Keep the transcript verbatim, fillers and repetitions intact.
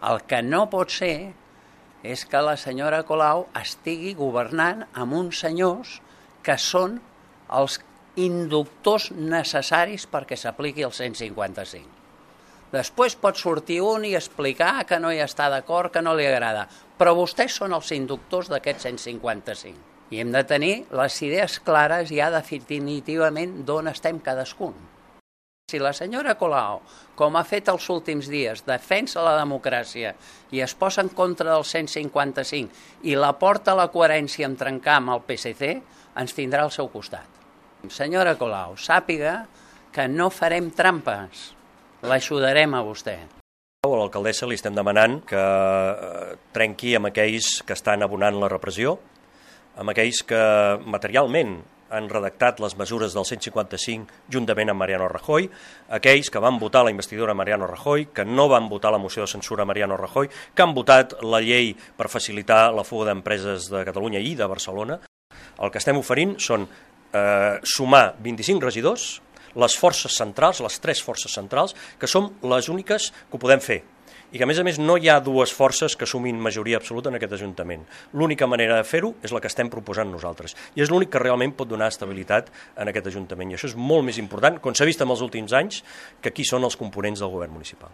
El que no pot ser és que la senyora Colau estigui governant amb uns senyors que són els inductors necessaris perquè s'apliqui el cent cinquanta-cinc. Després pot sortir un i explicar que no hi està d'acord, que no li agrada, però vostès són els inductors d'aquest cent cinquanta-cinc. I hem de tenir les idees clares ja definitivament d'on estem cadascun. Si la senyora Colau, com ha fet els últims dies, defensa la democràcia i es posa en contra del cent cinquanta-cinc i la porta a la coherència en trencar amb el P S C, ens tindrà al seu costat. Senyora Colau, sàpiga que no farem trampes, l'ajudarem a vostè. A l'alcaldessa li estem demanant que trenqui amb aquells que estan abonant la repressió, amb aquells que materialment han redactat les mesures del cent cinquanta-cinc juntament amb Mariano Rajoy, aquells que van votar la investidura a Mariano Rajoy, que no van votar la moció de censura a Mariano Rajoy, que han votat la llei per facilitar la fuga d'empreses de Catalunya i de Barcelona. El que estem oferint són eh, sumar vint-i-cinc regidors, les forces centrals, les tres forces centrals, que som les úniques que ho podem fer. I que, a més a més, no hi ha dues forces que sumin majoria absoluta en aquest Ajuntament. L'única manera de fer-ho és la que estem proposant nosaltres. I és l'únic que realment pot donar estabilitat en aquest Ajuntament. I això és molt més important, com s'ha vist en els últims anys, que qui són els components del govern municipal.